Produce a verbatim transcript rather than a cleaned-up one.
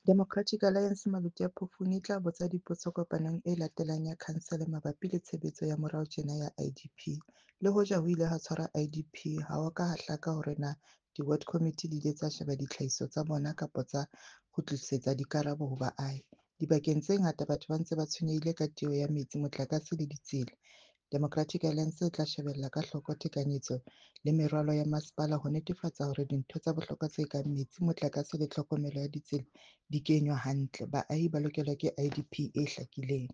Democratic Alliance Maluti-a-Phofung e tla botsa dipotso kopanong e latelang ya khansele mabapi le tshebetso ya morao tjena ya I D P. Le hoja ho ile ha tshwarwa I D P, ha ho a ka ha hlaka hore na di-ward committee di ile tsa sheba ditlhahiso tsa bona kapa tsa kgutlisetsa dikarabo ho baahi. Dibakeng tse ngata batho ba ntse ba tshwenyehile ka tieho ya metsi, motlakase le ditsela. Democratic Alliance e tla shebella ka hloko tekanyetso le meralo ya masepala ho netefatsa hore dintho tsa bohlokwa tse kang metsi, motlakase le tlhokomelo ya ditsela di kenywa hantle. Baahi ba lokelwa ke I D P e hlakileng.